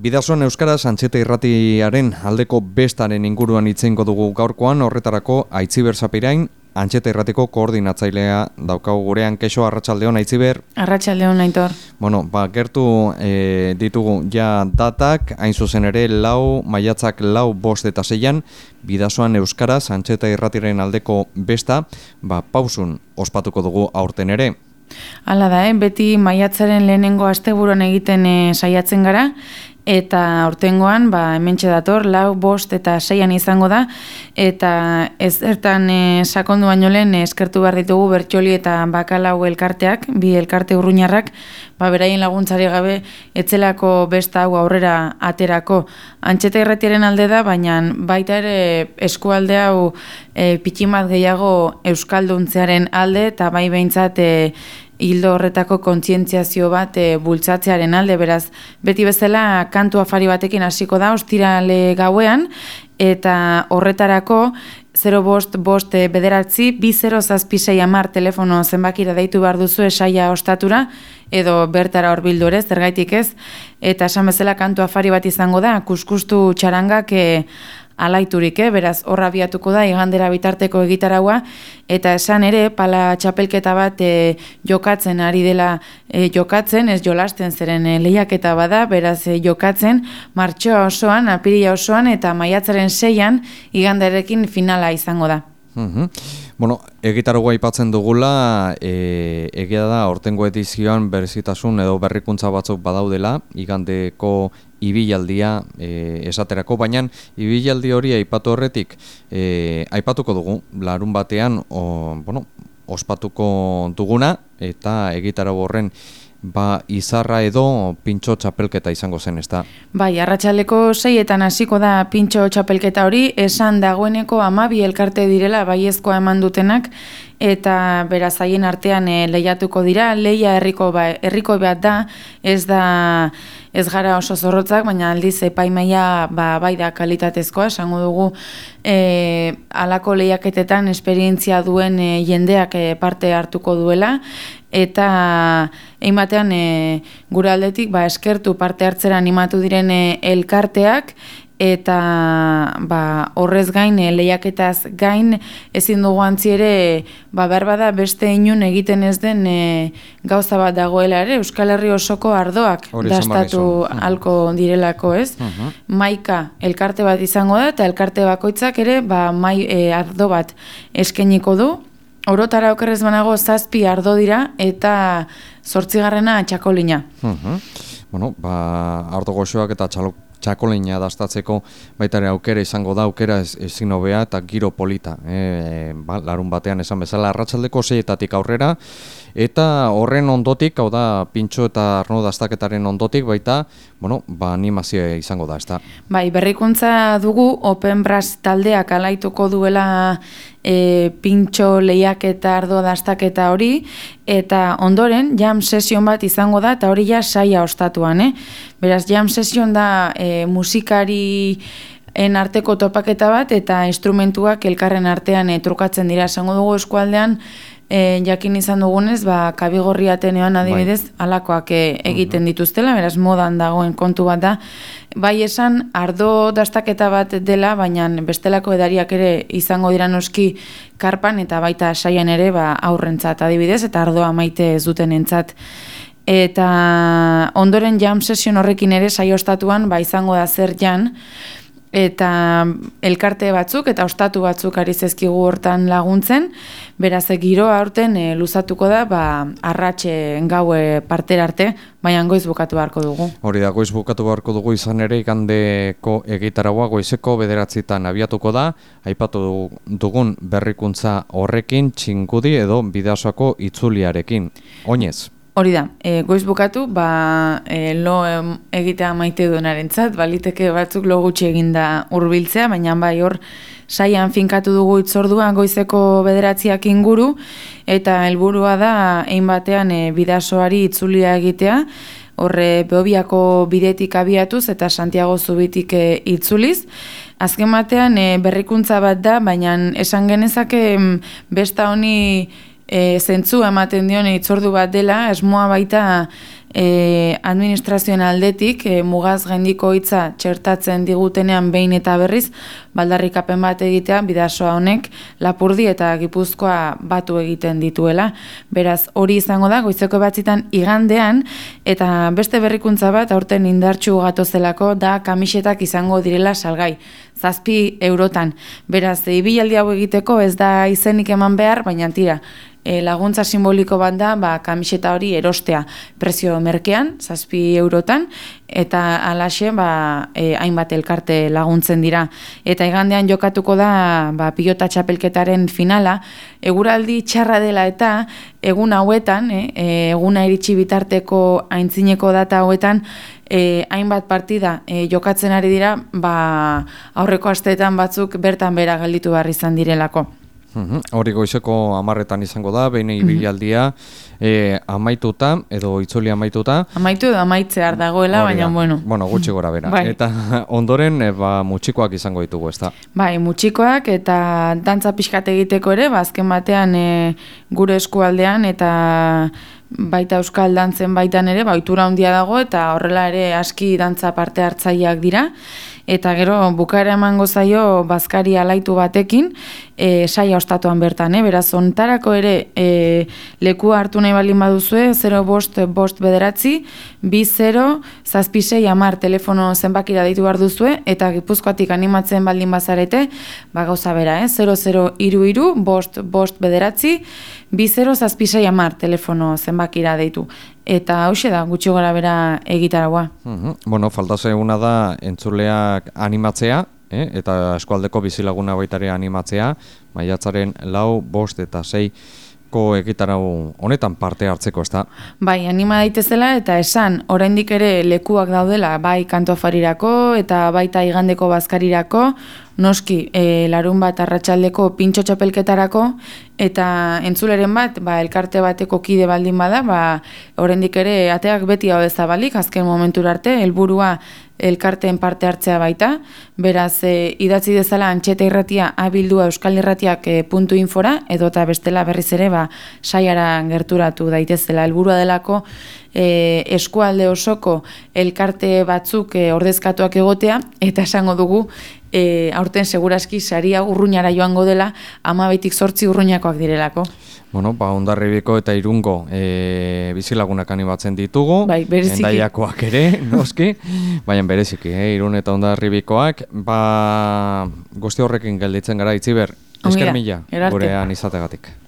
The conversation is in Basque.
Bidasoan euskaraz Antxeta Irratiaren aldeko bestaren inguruan itzeingo dugu gaurkoan, horretarako Aitziber Zapirain, Antxeta Irratiko koordinatzailea daukagu gurean. Keixo, arratsaldeon Aitziber. Arratsaldeon Aitor. Bueno, gertu ditugu ja datak, hain zuzen ere maiatzak 4, 5 eta 6 Bidasoan euskaraz Antxeta Irratiaren aldeko besta, pausun ospatuko dugu aurten ere. Hala da, beti maiatzaren lehenengo asteburuan egiten saiatzen gara, eta aurtengoan hementxe dator 4, 5 eta 6 izango da, eta ez zertan sakondu baino lehen eskertu behar ditugu Bertxoli eta Bakalau elkarteak, bi elkarte urruñarrak, beraien laguntzari gabe etzelako besta hau aurrera aterako. Antxeta Irratiaren alde da, baina baita ere eskualde hau pitximat gehiago euskalduntzearen alde, eta bai behintzat hildo horretako kontzientziazio bat bultzatzearen alde, beraz, beti bezala kantu afari batekin hasiko da, ostirale gauean, eta horretarako 05-5-9-20-6-10 telefono zenbakira deitu behar duzu saia ostatura, edo bertara horbildu ere, zergaitik ez, eta esan bezala kantu afari bat izango da, kuskustu txarangak alaiturik, beraz horra abiatuko da igandera bitarteko egitaragua, eta esan ere pala txapelketa bat jokatzen ari dela jokatzen, ez jolasten zeren lehiaketa bada, beraz jokatzen martxoa osoan, apirila osoan eta maiatzaren 6 iganderekin finala izango da. Bueno, egitaragua aipatzen dugula, egia da aurtengo edizioan berezitasun edo berrikuntza batzuk badaudela, igandeko ibilaldia esaterako, baina ibilaldi hori aipatu horretik aipatuko dugu, larun batean ospatuko duguna, eta egitarago horren izarra edo pintxo txapelketa izango zen, ez da? Bai, arratsaldeko 6etan hasiko da pintxo txapelketa hori, esan dagoeneko 12 elkarte direla baiezkoa eman dutenak, eta beraz haien artean lehiatuko dira, lehia herriko bat da, ez gara oso zorrotzak, baina aldiz epaimaia bai da kalitatezkoa, esango dugu halako lehiaketetan esperientzia duen jendeak parte hartuko duela, eta batean gure aldetik eskertu parte hartzera animatu diren elkarteak, eta horrez gain, lehiaketaz gain, ezin dugu antzi ere, behar bada beste inun egiten ez den gauza bat dagoela ere, Euskal Herri osoko ardoak dastatu halko direlako, ez? Maika elkarte bat izango da, eta elkarte bakoitzak ere ardo bat eskainiko du. Orotara okerrez banago 7 ardo dira, eta 8. txakolina. Bueno, ardo goxoak eta txakolina dastatzeko baitare aukera izango da, aukera ezin hobea eta giro polita. Larun batean esan bezala arratsaldeko 6etatik aurrera, eta horren ondotik, hau da pintxo eta arno dastaketaren ondotik baita, animazioa izango da, ez da? Bai, berrikuntza dugu Open Brass taldeak alaituko duela pintxo lehiaketa ardo dastaketa hori, eta ondoren jam sesion bat izango da, eta hori ja saia ostatuan, Beraz, jam sesion da musikarien arteko topaketa bat, eta instrumentuak elkarren artean trukatzen dira. Esango dugu eskualdean, jakin izan dugunez, Kabigorri Ateneoan adibidez, halakoak egiten dituztela, beraz modan dagoen kontu bat da. Bai esan, ardo dastaketa bat dela, baina bestelako edariak ere izango dira noski karpan, eta baita saian ere aurrentzat adibidez, eta ardoa maite ez duten entzat. Eta ondoren jam sesion horrekin ere saio ostatuan izango da zer jan, eta elkarte batzuk eta ostatu batzuk ari zezkigu hortan laguntzen, beraz giroa aurten luzatuko da arratxe gaue partera arte, baina goiz bukatu beharko dugu. Hori da, goiz bukatu beharko dugu, izan ere igandeko egitaragua goizeko 9etan abiatuko da, aipatu dugun berrikuntza horrekin txingudi edo Bidasoako itzuliarekin. Oinez? Hori da, goiz bukatu, lo egitea maite duenarentzat, baliteke batzuk lo gutxi eginda hurbiltzea, baina hor saian finkatu dugu itzordua goizeko 9 inguru, eta helburua da batean Bidasoari itzulia egitea, horre Beobiako bidetik abiatuz eta Santiago Zubitik itzuliz. Azken batean berrikuntza bat da, baina esan genezake besta honi zentzu ematen dion itzordu bat dela, esmoa baita administrazioen aldetik mugaz gaindiko hitza txertatzen digutenean behin eta berriz, baldarrikapen bat egitea Bidasoa honek Lapurdi eta Gipuzkoa batu egiten dituela. Beraz, hori izango da, goizeko batzitan igandean, eta beste berrikuntza bat, aurten indartsu gatozelako, da kamisetak izango direla salgai. 7 eurotan. Beraz, ibilaldi hau egiteko ez da izenik eman behar, baina tira, laguntza simboliko bat da, kamiseta hori erostea prezio merkean, 7 eurotan, eta alaxe hainbat elkarte laguntzen dira. Eta igandean jokatuko da pilota txapelketaren finala, eguraldi txarra dela eta egun hauetan, eguna iritsi bitarteko aintzineko data hauetan, hainbat partida jokatzen ari dira, aurreko asteetan batzuk bertan bera gelditu behar izan direlako. Hori goizeko 10etan izango da, behin ibilaldia amaituta, edo itzuli amaituta. Amaitu edo amaitzear dagoela, baina bueno. Bueno, gutxi gora bera. Bai. Eta ondoren mutxikoak izango ditugu, ezta? Bai, mutxikoak eta dantza pixkat egiteko ere, azken batean gure eskualdean eta baita euskal dantzen baitan ere, ohitura handia dago eta horrela ere aski dantza parte hartzaileak dira. Eta gero bukaera emango zaio bazkari alaitu batekin, saia ostatuan bertan, beraz ontarako ere lekua hartu nahi baldin baduzue, 05-5 bederatzi 20 telefono zenbakira deitu behar duzue, eta Gipuzkoatik animatzen baldin bazarete, gauza bera, 0033 bederatzi 20 telefono zenbakira deitu. Eta hauxe da, gutxi gara bera egitaragua. Bueno, falta zeguna da entzuleak animatzea, eta eskualdeko bizilaguna baitare animatzea, maiatzaren 4, 5 eta 6ko egitarau honetan parte hartzeko, ezta? Bai, anima daitezela eta esan, oraindik ere lekuak daudela, bai kantoafarirako eta baita igandeko bazkarirako, noski, larun bat arratsaldeko pintxo txapelketarako, eta entzuleren bat, elkarte bateko kide baldin bada, oraindik ere ateak beti hau zabalik, azken momentura arte, helburua elkarteen parte hartzea baita, beraz, idatzi dezala Antxeta Irratia abildua euskalirratiak.infora, edota bestela berriz ere, saiara gerturatu daitezela. Helburua delako eskualde osoko elkarte batzuk ordezkatuak egotea, eta esango dugu, aurten seguraski saria urruñara joango dela, 12-8 urruñakoak direlako. Bueno, Hondarribiko eta Irungo bizilagunak animatzen ditugu, Hendaiakoak ere, noski, baina bereziki, Irun eta Hondarribikoak, guzti horrekin gelditzen gara, Itziber, esker mila gurean izategatik.